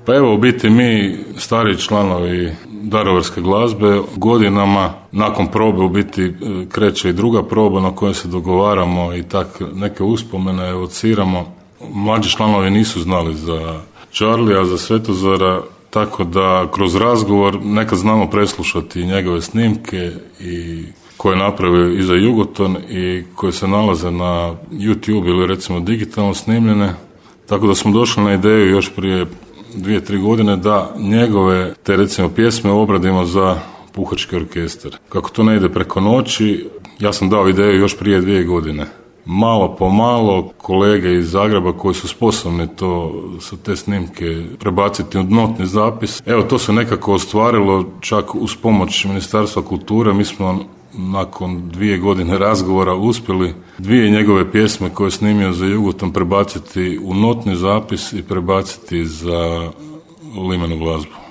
Pa evo, u biti mi, stari članovi daruvarske glazbe, godinama nakon probe u biti kreće i druga proba na kojoj se dogovaramo i tak neke uspomene evociramo. Mlađi članovi nisu znali za Charlija, za Svetozara, tako da kroz razgovor nekad znamo preslušati njegove snimke i koje je napravio i za Jugoton i koje se nalaze na YouTube ili recimo digitalno snimljene. Tako da smo došli na ideju još prije 2-3 godine da njegove te recimo pjesme obradimo za puhački orkestar. Kako to ne ide preko noći, ja sam dao ideju još prije 2 godine. Malo po malo kolege iz Zagreba koji su sposobni sa te snimke prebaciti u notni zapis. Evo, to se nekako ostvarilo čak uz pomoć Ministarstva kulture. Mi smo nakon 2 godine razgovora uspjeli 2 njegove pjesme koje je snimio za Jugoton prebaciti u notni zapis i prebaciti za limenu glazbu.